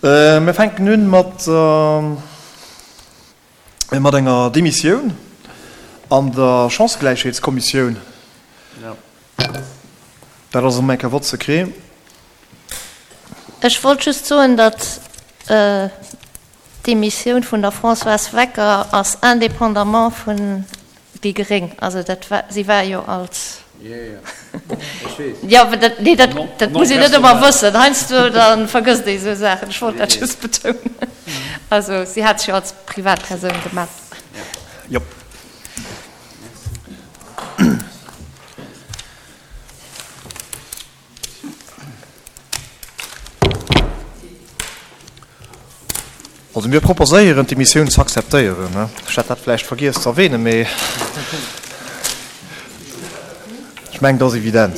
Mir fänken un mat mat enger Demissioun an der Chancëgläichheetskommissioun. Dat ass erëm eng Kéier Vote secret. Ech wollt just soen, datt d'Demissioun vun der Françoise Wecker ass indépendamment vun déi gréng. Also dat war, si war jo als. Jo, mä dat, nee, dat, dat muss een net ëmmer wëssen. Heiansdo da vergësst ee esou Saachen. Ech wollt dat just betounen. Also si hat sech jo als Privatpersoun gemellt. Jop. Also mir proposéieren, d'Demissioun ze akzeptéieren. Ech hat dat vläicht vergiess ze erwähnen, mee ech mengen, dat ass evident.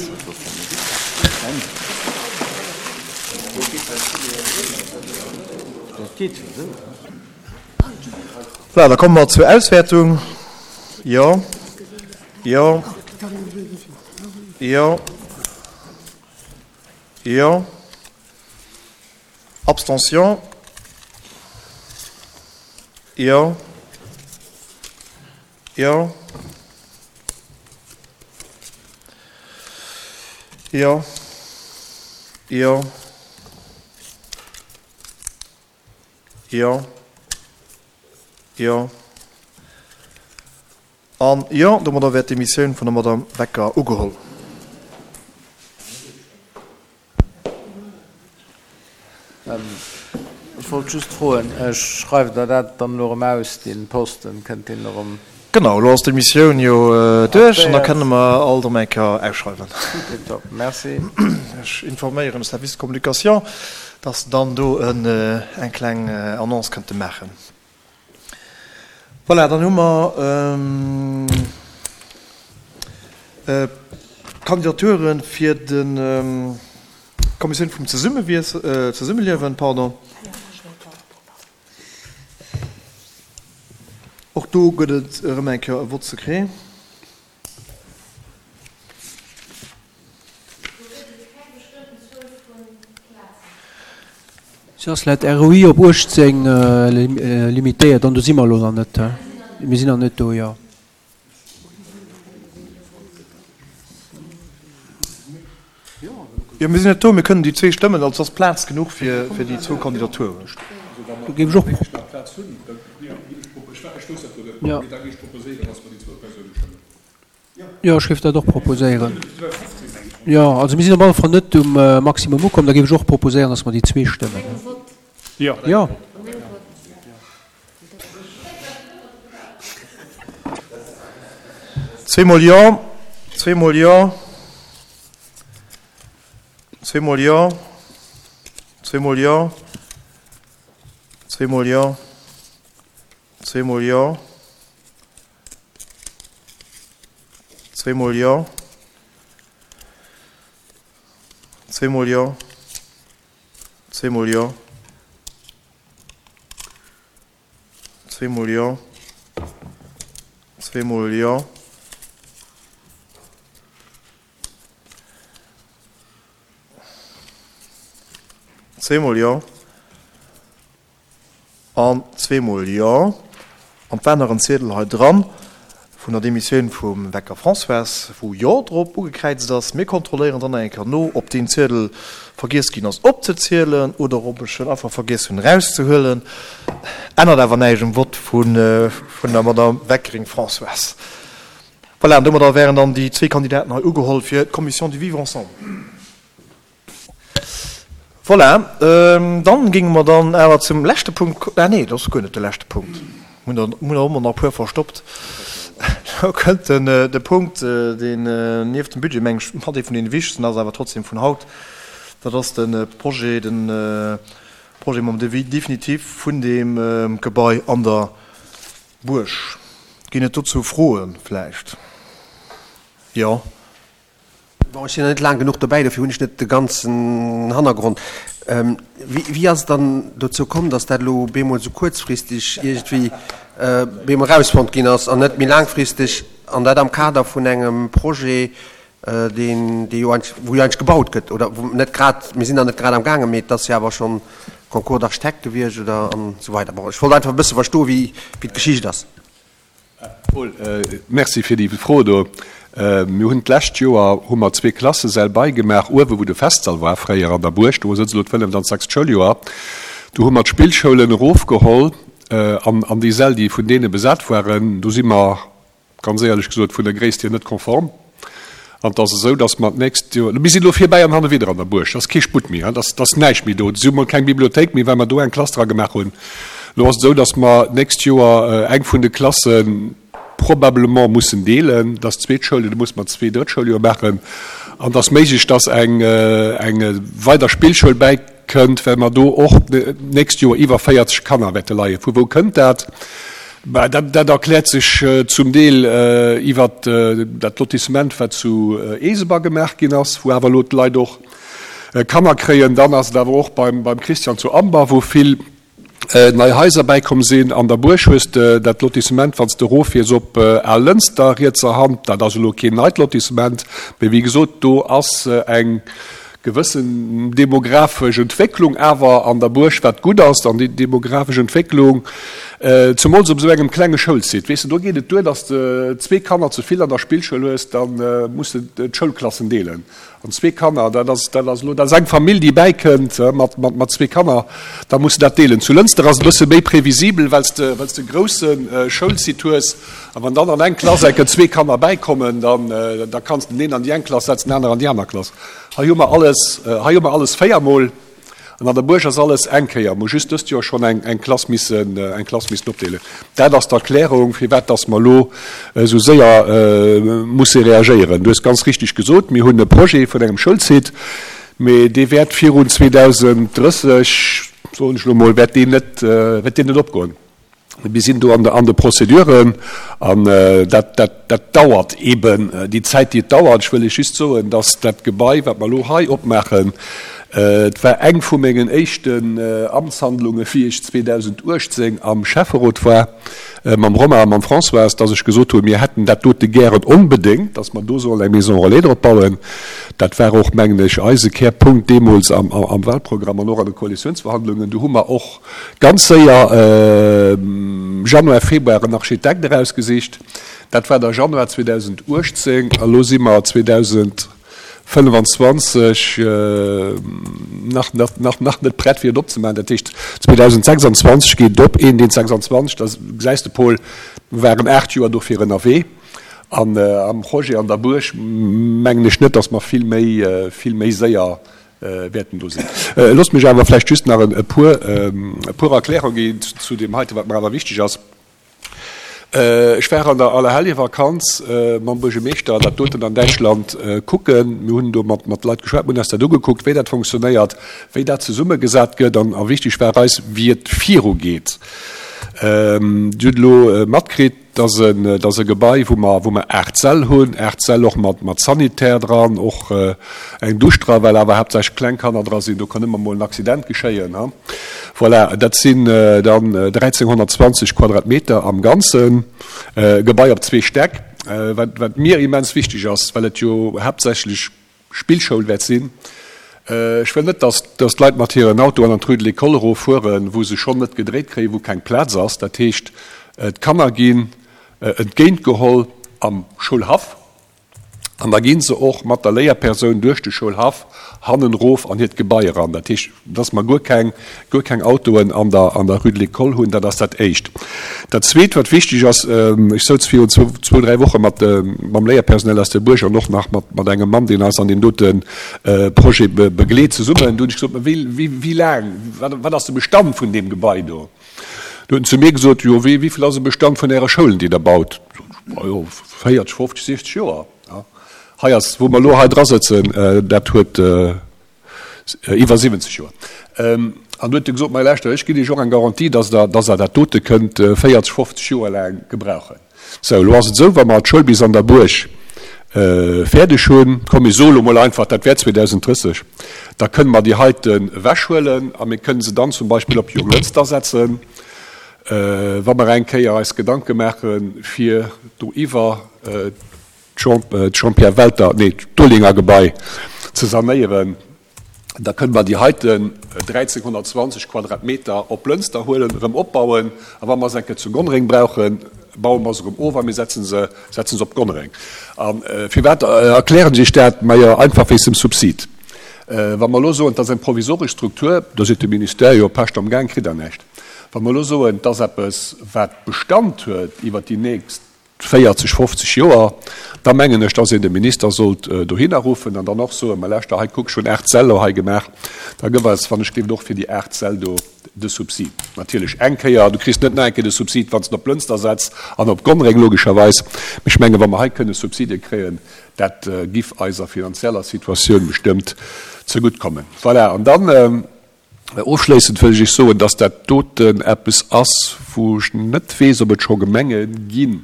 Voilà, da komme mer zur Auswäertung. Jo. Jo. Jo. Jo. Abstention. Jo. Jo. Jo. Jo. Jo. Jo. An jo, domadder wär d'Demissioun vun der Madame Becker ugeholl. Ech wollt just froen, schreift Der dat dann elo erëm aus, dee Posten? Kënnt deen erëm? Genau, elo ass d'Demissioun jo duerch an da kënne mer alt erëm eng Kéier ausschreiwen. Tiptop, merci. Ech informéieren de Service de communication, dass se dann do eng kleng Annonce kënnte maachen. Voilà, dann hu mer d'Kandidature fir d'Kommissioun vum Zesummeliewen. Pardon. Och do gëtt et erëm eng Kéier e Vote secret. Si ass laut ROI op 18 limitéiert an do si mer elo nach net. Mir sinn nach net do, jo. Jo, mir sinn net do. Mir kënnen déi zwee stëmmen. Also ass Plaz genuch fir déi zwou Kandidaturen. Do géif ech och. Jo, ech géif dat och proposéieren. Jo, also mir sinn op alle Fall net um Maximum ukomm. Da géif ech och proposéieren, dass mer déi zwee stëmmen. Jo. Zweemol Jo, zweemol Jo, zweemol Jo, zweemol Jo, zweemol Jo, zweemol Jo. Zweemol Jo. Zweemol Jo. Zweemol Jo. Zweemol Jo. Zweemol Jo. Zweemol Jo. An zweemol Jo. An 't war nach en Ziedel hei dran vun der Demissioun vum Wecker Françoise, wou Jo drop ugekräizt ass. Mir kontrolléieren dann nach eng Kéier no, ob deen Ziedel vergiess ginn ass opzezielen oder ob ech en einfach vergiess hunn erauszehuelen. Ännert awer näischt um Vott vun der Madame Weckering Françoise. Voilà, an domadder wären dann déi zwee Kandidaten hei ugeholl fir d'Commission du Vivre ensemble. Voilà, dann géinge mer dann awer zum leschte Punkt, ah nee, dat ass guer net de leschte Punkt, mir hunn der ëmmer nach e puer verstoppt. Elo kënnt de Punkt, deen nieft dem Budget, meng ech, mat ee vun deene wichtegsten ass, awer trotzdem vun haut, dat ass de Projet, de Projet mam Devis définitif vun deem Gebai an der Buerg. Ginn et dozou Froe vläicht? Jo. Bon, ech sinn nach net laang genuch dobäi, dofir hunn ech net de ganzen Hannergrond. Wéi ass et dann dozou komm, datt dat elo bemol esou kuerzfristeg iergendwéi bemol erausfonnt ginn ass an net méi laangfristeg, an dat am Kader vun engem Projet, deen, dee jo eigentlech, wou jo eigentlech gebaut gëtt, oder wou net grad, mir sinn nach net grad am gaangen, mee et ass jo awer schonn. Concours d'architectes gewiescht oder an esou weider. Bon, ech wollt einfach e bësse verstoen, wéi d'Geschicht ass. Paul, Merci fir déi Fro do. Mir hunn d'lescht Joer hu mer zwee Klassesäll beigemaach, uewe wou de Festsall war fréier an der Buerg, do sëtzt elo d'fënneft an d'sechst Schouljoer. Do hu mer d'Spillschoulen erofgeholl an an déi Säll, déi vun deene besat waren. Do si mer, ganz éierlech gesot, vun der Gréisst hier net konform. An et ass esou, datt mer d'nächst Joer, mir sinn elo virbäi an hanne widder an der Buerg, et ass kee Sputt méi, et ass näischt méi do, et ass emol keng Bibliothéik méi, well mer do eng Klass dra gemaach hunn. Elo ass et esou, datt mer d'nächst Joer eng vun de Klasse probablement mussen deelen, datt zweet Schouljoer, do musse mer zwee drëtt Schouljoer maachen. An et ass méiglech, datt eng weider Spillschoul bäikënnt, well mer do och d'nächst Joer iwwer 40 Kanner wäerte leien. Vu wou kënnt dat? Bah, dat, dat erkläert sech zum Deel iwwert dat Lotissement, wat zu Eeseber gemaach ginn ass, wou awer elo d'Leit och Kanner kréien. Dann ass et awer och beim, beim Christian zu Amber, wou vill nei Haiser bäikomm sinn. An der Buerg hues de dat Lotissement, wann s de eroffiers op Al-Lënster rietser Hand. Dat ass elo keen neit Lotissement, mee wéi gesot, do ass eng gewëssen demografesch Entwécklung awer an der Buerg, wat gutt ass, an déi demografesch Entwécklung, zemools op esou engem klenge Schoulsite, weess de, do geet et duer, datt s de zwee Kanner ze vill an der Spillschoul hues, da muss de d'Schoulklassen deelen. An zwee Kanner, dat ass, dat ass elo, dat ass eng Famill, déi bäikënnt mat, mat, mat zwee Kanner, da muss de dat deelen. Zu Lënster ass et e bësse méi previsibel, well s de, well s de e grousse Schoulsite hues. A wann dann an eng Klass enke zwee Kanner bäikommen, dann, da kanns de den een an déi eng Klass setzen, den anere an déi aner Klass. Hei hu mer alles, hei hu mer alles véiermol an an der Buerg ass alles eng Kéier. Mer hu just dëst Joer schonn eng, eng Klass missen, eng Klass missen opdeelen. Dat ass d'Erklärung, firwat dass mer elo esou séier musse reagéieren. Du hues ganz richtig gesot, mir hunn e Projet vun engem Schoulsite, mee dee wäert virun 2030, soen ech elo mol, wäert deen net, wäert deen net opgoen. Mir sinn do an de Prozeduren an dat, dat, dat dauert eeben déi Zäit, déi et dauert. Ech wëll lech just soen, dass dat Gebai, wat mer elo hei opmaachen, et war eng vu mengen éischten Amtshandlungen, wéi ech 2018 am Schäfferot war, mam Romain a mam Françoise, dass ech gesot hunn, mir hätten dat dote gären onbedéngt, dass mer do sollen eng Maison relais drop bauen. Dat war och, mengen ech, eise Kärpunkt deemools am Wahlprogramm an och an de Koalitionsverhandlungen. Do hu mer och Ganz séier, Januar, Februar, en Architekt erausgesicht. Dat war da Januar 2018. A lo si mer 2025 nach, nach, nach net prett, fir et opzemaachen. Dat heescht, 2026 geet et op, 1.26, da gesäis de, Paul, mir waren 8 Joer dofir ënnerwee. An am Projet an der Buerg mengen ech net, datt mer vill méi, vill méi séier wäerten do sinn. Loosst mech awer vläicht just nach e puer, e puer Erklärunge ginn zu deem heiten, wat mer awer wichteg ass. Ech war an der Allerheljevakanz mam Buergermeeschter dat doten an Däitschland kucken. Mir hunn do mat, mat Leit geschwat, mir hunn eis dat ugekuckt, wéi dat funktionéiert, wéi dat zesummegesat gëtt an, a wichteg war eis, wéi et virugeet. Dir hutt elo matkritt, Dat ass e Gebai, wou mer, wou mer 8 Säll hunn, 8 Säll och mat, mat Sanitär dran, och eng Dusch dra, well awer haaptsächlech kleng Kanner dra sinn. Do kann ëmmer mol en Accident geschéien, ha. Voilà, dat sinn dann 1.320 Quadratmeter am Ganzen. E Gebai op zwee Stäck, wat, wat mir immens wichteg ass, well et jo haaptsächlech Spillschoul wäert sinn. Ech wëll net, dass d'Leit mat hiren Autoen an d'Rue de l'École eroffueren, wou se schonn net gedréit kréien, wou keng Plaz ass. Dat heescht, d'Kanner ginn entgéintgeholl am Schoulhaff an da gi se och mat der Léierpersoun duerch de Schoulhaff hannen erof an hiert Gebai eran. Dat heescht, dass mer guer keng, guer keng Autoen an der, an der Rue de l'École hunn, dat ass dat Éischt. Dat Zweet, wat wichteg ass, ech souz virun zwou, zwou, dräi Woche mat, mam Léierpersonal aus der Buerg an och nach mat, mat engem Mann, deen eis an deem dote Projet begleet, zesummen. Do hunn ech gesot, Mä wéi, wéi, wéi laang, wat, wat ass de Bestand vun deem Gebai do? Do huet en zu mir gesot, Jo, wéi, wéi vill ass de Bestand vun Äre Schoulen, déi Der baut? Sot ech, Ma jo, 40, 50, 60 Joer. Hei ass, wou mer elo hei drasëtzen, dat huet, Iwwer 70 Joer. An du huet e gesot, Mä lauschtert, ech ginn Iech och eng Garantie, dass Der, dass Der dat dote kënnt 40, 50 Joer laang gebrauchen. Sou, elo ass et esou, wa mer d'Schoul bis an der Buerg fäerdeg hunn, komm mir soe lo mol einfach, dat wär 2030, da kënne mer déi heiten ewechhuelen a mir kënne se dann zum Beispill op Jonglënster setzen, wa mer eng Kéier eis Gedanke maache fir do iwwer d'Jean-Pierre Welter, nee, d'Olinger Gebai ze sanéieren. Da kënne mer déi heiten 1.320 Quadratmeter op Lënster huelen, erëm opbauen, a wa mer se eng Kéier zu Gonnereng brauchen, baue mer se erëm of a mir setzen se, setzen se op Gonnereng. A firwat erklären ech Iech dat? Majo, einfach wéinst dem Subsid. Wa mer elo soen, et ass eng provisoresch Struktur, da seet de Ministère, jo, Pescht am Gaang, kritt Der näischt. Wa mer elo soen, et ass eppes, wat Bestand huet iwwert déi nächst 40, 50 Joer, da mengen ech, dass een de Minister sollt dohinner ruffen an dann och soen, Ma lauschter, hei kuck, ech hunn 8 Säll elo hei gemaach, da gëff eis, wann ech géif, och fir déi 8 Säll do de Subsid. Natierlech eng Kéier, du kriss net nach eng Kéier de Subsid, wann s de op Lënster setz an op Gonnereng logescherweis. Mee ech mengen, wa mer hei kënne Subside kréien, dat giff eiser finanzieller Situatioun bestëmmt zegutt kommen. Voilà, an dann, Ofschléissend wëll ech Iech soen, dass dat doten eppes ass, wou ech net weess, ob et scho Gemenge ginn,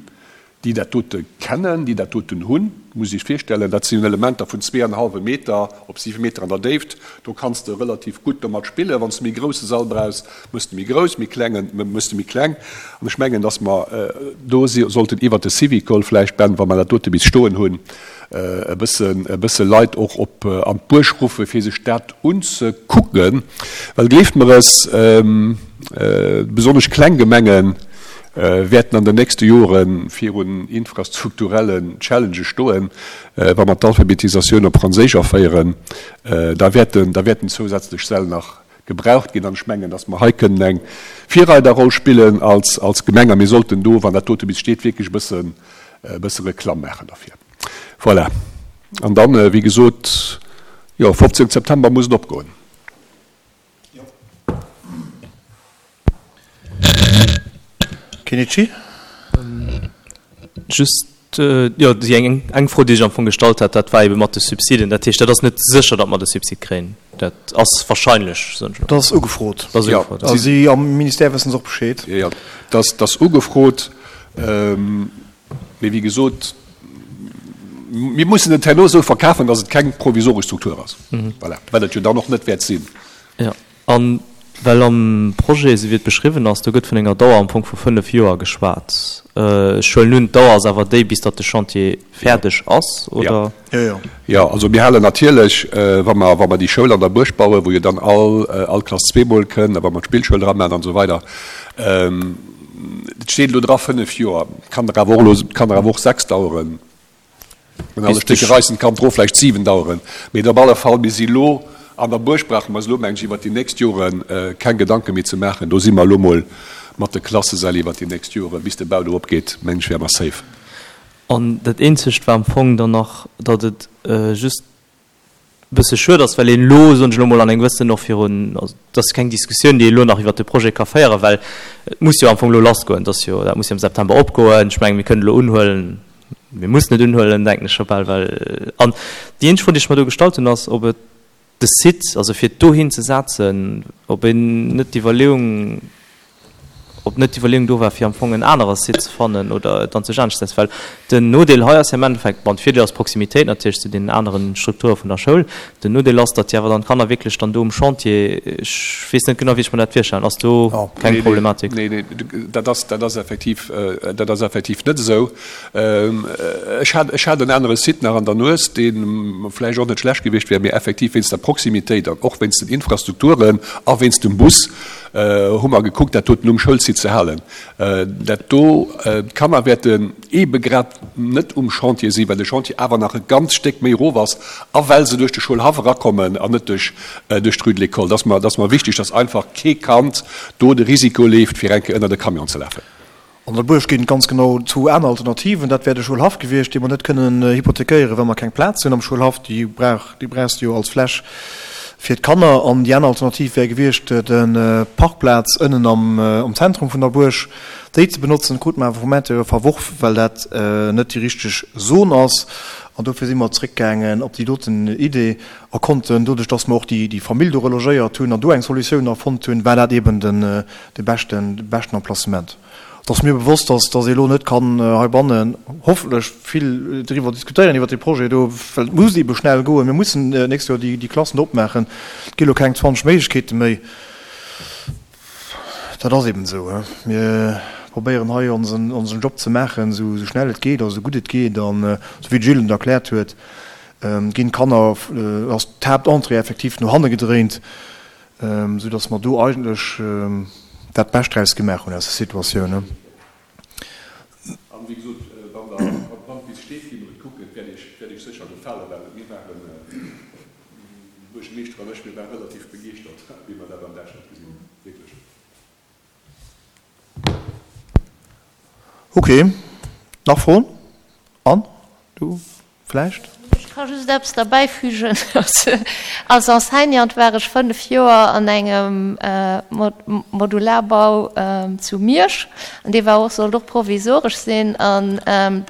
déi dat dote kennen, déi dat doten hunn. Muss Iech virstellen, dat sinn Elementer vun zweeanenhallwe Meter op siwe Meter an der Déift. Do kanns de relativ gutt domat spillen. Wann s de méi grousse Sall brauchs, méchs de méi grouss, méi klengen, méchs de méi kleng. An ech mengen, dass mer do sollten iwwert de Syvicol vläicht, Ben, wa mer dat dote bis stoen hunn, e bëssen, e bësse Leit och op an d'Buerg ruffe fir sech dat unzekucken, well gleeft mer es, besonnesch kleng Gemenge wäerten an den nächste Jore virun infrastrukturellen Challengë stoen, wa mer d'Alphabetisatioun op Franséisch aféieren, da wäerten, da wäerten zousätzlech Säll nach gebraucht ginn. An ech mengen, datt mer hei kënnen eng Virreiderroll spillen als, als Gemeng a mir sollten do, wann dat dote bis steet, wierklech e bëssen, e bësse Reklamm maachen derfir. Voilà. An dann, wéi gesot, jo, 15 September muss et opgoen. Kenichi? Just, jo, déi eng, eng Fro, déi ech am Fong gestallt hat, dat war ebe mat de Subsiden. Dat heescht, dat ass net sécher, datt mer de Subsid kréien. Dat ass wahrscheinlech, soen ech elo. Dat ass ugefrot. Dat ass ugefrot, ja. A si am Ministère wëssen se och Bescheed. Jo, jo, dat ass ugefrot. Mee wéi gesot, mir mussen et herno esou verkafen, datt et keng provisoresch Struktur ass. Voilà, wat et jo dann och net wäert sinn. Jo, a well am Projet, esou wéi et beschriwwen ass, do gëtt vun enger Dauer am Fong vu fënnef Joer geschwat. Ech huelen un, d'Dauer ass awer déi, bis datt de Chantier fäerdeg ass, oder? Jo, jo. Jo, also mir halen natierlech, wa mer, wa mer déi Schoul an der Buerg bauen, wou jo dann all, all Klass zweemol kënn, a wa mer d'Spillschoul dra maachen an esou weider, Et steet elo dra 5 Joer, kann der awer och elo, kann der awer och 6 daueren. Wenn alle Stécke reissen, kann d'Ro vläicht 7 daueren. Mee op alle Fall, mir si elo an der Buerg, brauche mer eis elo, meng ech, iwwert déi nächst Jore keng Gedanke méi ze maachen. Do si mer elo mol mat de Klassesäll iwwert déi nächst Jore, bis de Bau do opgeet, meng ech, wäre mer safe. An dat Eenzegt war am Fong dann nach, datt et just e bësse schued ass, well een elo, soen ech elo mol, an engem gewëssenen och virun, also et ass keng Diskussioun, déi ee elo nach iwwert de Projet ka féieren, well et muss jo am Fong elo lassgoen, et ass jo, dat muss jo am September opgoen. Ech mengen, mir kënnen elo unhuelen, mir mussen et unhuelen, denken ech scho bal, well, an déi eenzeg Fro, déi ech mer do gestallt hunn, ass, ob et de Site, also fir et dohin ze setzen, ob een net d'Iwwerleeung, ob net d'Iwwerleeung do war, fir am Fong en anere Site ze fannen oder et dann sech anescht ze setzen. Well den Nodeel hei ass jo am Endeffekt, bon, de Virdeel ass d'Proximitéit natierlech zu deenen aneren Strukture vun der Schoul. Den Nodeel ass, datt déi awer dann d'Kanner wierklech dann do um Chantier, ech weess net genau, wéi ech mer dat virstellen, ass do keng Problematik? Nee, nee, dat ass, dat ass effektiv, dat ass effektiv net esou. Ech hat, ech hat en anere Site nach an der Nues, dee vläicht och net schlecht gewiescht wär, mee effektiv wéinst der Proximitéit an och wéinst den Infrastrukturen a wéinst dem Bus, hu mer gekuckt, dat doten um Schoulsite ze halen. Dat do, d'Kanner wäerten eebe grad net um Chantier sinn, well de Chantier awer nach e ganz Stéck méi erof ass a well se duerch de Schoulhaff erakommen an net duerch d'Rue de l'École. Dat ass mer, dat ass mer wichteg, dass einfach kee Kand do de Risiko leeft, fir eng Kéier ënnert e Camion ze lafen. An der Buerg ginn et ganz genau zwou aner Alternativen. Dat wär de Schoulhaff gewiescht, dee mer net kënnen hypothekéieren, well mer keng Plaz hunn am Schoulhaff. Déi brauch, déi brauchs de jo als Fläch fir d'Kanner. An déi aner Alternativ wär gewiescht, de Parkplaz ënnen am, am Zentrum vun der Buerg, déi ze benotzen. Krute mer awer vum Intérieur verworf, well dat net déi richteg Zon ass. An dofir si mer zréckgaangen op déi doten Idee a konnten, doduerch dass mer och déi, déi Famill do relogéiert hunn an do eng Solutioun erfonnt hunn, war dat eeben den, de beschten, de beschten Emplacement. Et ass mir bewosst, dass, dass ee elo net kann heibannen hoffentlech vill driwwer diskutéieren, iwwert dee Projet do, well et muss eebe schnell goen. Mir mussen d'nächst Joer déi, déi Klassen do opmaachen. Et gi elo keng 20 Méiglechkeete méi. Dat ass eeben esou. Mir probéieren hei onsen, onsen Job ze maachen, esou, esou schnell et geet a esou gutt et geet an esou wéi de Gilles et erkläert huet. Ginn d'Kanner, ass d'Haaptentrée effektiv no hanne gedréint, esou dass mer do eigentlech dat Bescht draus gemaach hunn aus der Situatioun. An wéi gesot, wann der, wann d'Wiss steet, gi mer et kucken. Et wäert Iech, wäert Iech sécher gefalen, well mir waren, de Buergermeeschter an ech, mir ware relativ begeeschtert, wéi mer dat an Däitschland gesinn hunn. Wierklech. Ok, nach Froen? Anne, du vläicht? Ech ka just eppes derbäifügen. Als Enseignante war ech 5 Joer an engem Modularbau zu Miersch an dee war och, sollt och provisoresch sinn an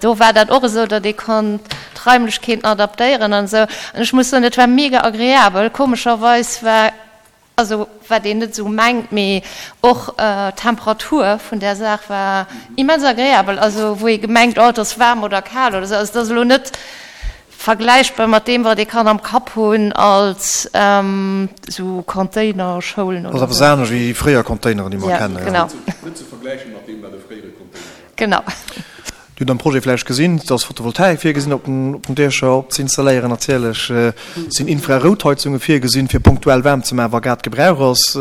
do war dat och esou, datt ee konnt d'Raimlechkeeten adaptéieren an esou. An ech muss soen, dat war mega agreabel. Komescherweis war Also wat een net esou mengt, mee och d'Temperatur vun där Saach war immens agreabel. Also wou ee gemengt, oh et ass waarm oder kal oder esou. Also et ass elo net vergläichbar mat deem wat ee kann am Kapp hunn als esou Containerschoulen oder esou. Ass eppes anescht wéi déi fréier Containeren déi mer kennen. Ja, genau. Net ze vergläichen mat deem wat e fréiere Container war. Genau. Dir hutt am Projet vläicht gesinn, et ass Photovoltaik virgesinn op den Diecher op ze installéieren. Natierlech sinn Infraroutheizunge virgesinn, fir punktuell waarm ze maachen, wa grad Gebrauch ass.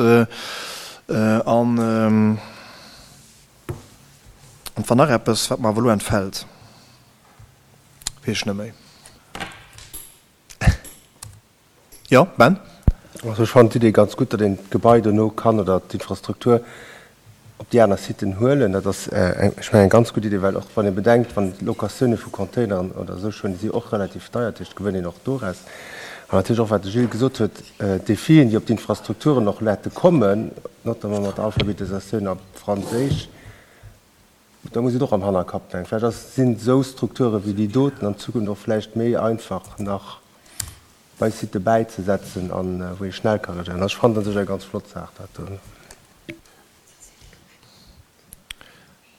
An et war nach eppes, wat mer awer elo entfält, weess ech net méi. Jo, Ben? Also ech fannen d'Idee ganz gutt, datt een d'Gebai dono kann oder d'Infrastruktur op déi aner Siten huelen. Dat ass, ech mengen, eng ganz gutt Idee, well och wann ee bedenkt, wann d'Locatioune vu Containeren oder esou schonn, déi si och relativ deier, dat heescht, gewënnt een och doraus. An natierlech och, wat de Gilles gesot huet, d'Defien, déi op d'Infrastrukturen och wäerte kommen, notamment mat der Alphabetisatioun op Franséisch, Da muss et och am Hannerkapp denken. Vläicht ass, sinn esou Strukture wéi déi doten an Zukunft och vläicht méi einfach nach bei Sitë bäizesetzen an wou ee schnell ka reagéieren. Also ech fannen dat u sech eng ganz flott Saach dat do.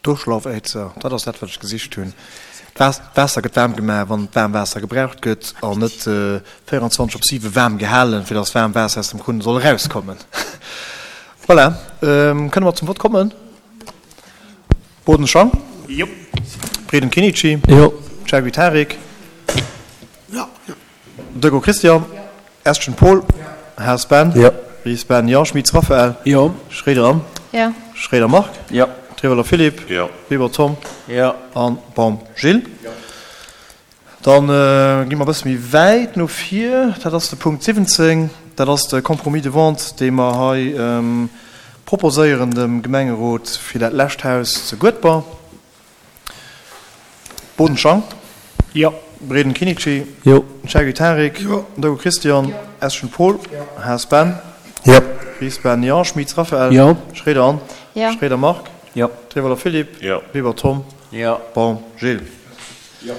D'Urschlaufäizer, dat ass dat wat ech gesicht hunn. D'Waasser gëtt waarm gemaach wann waarm Waasser gebraucht gëtt an net 24 op 7 waarm gehalen, fir datt waarm Waasser aus dem Krunn soll erauskommen. Voilà, kënne mer zum Vott kommen? Boden Schang. Jo. Breden Kinici. Jo. Chergui Tarik. Jo. Deco Christian. Eschen Paul. Haas Ben. Jo. Ries Ben, jo. Schmitz Raphaël. Jo. Schroeder Anne. Jo. Schroeder Marc. Jo. Trewelder Philippe. Jo. Weber Tom. Jo. An Baum Gilles. Jo. Dann gi mer e bësse méi wäit no vir. Dat ass de Punkt 17. Dat ass de Compromis de vente, dee mer hei proposéieren dem Gemengerot fir dat lescht Haus zu Guedber. Boden Schang. Jo. Breden Kinici. Jo. Chergui Tarik. Jo. Deco Christian. Jo. Eschen Paul. Jo. Haas Ben. Jo. Ries Ben, jo. Schmitz Raphaël. Jo. Schroeder Anne. Jo. Schroeder Marc. Jo. Trewelder Philippe. Jo. Weber Tom. Jo. Baum Gilles. Jo.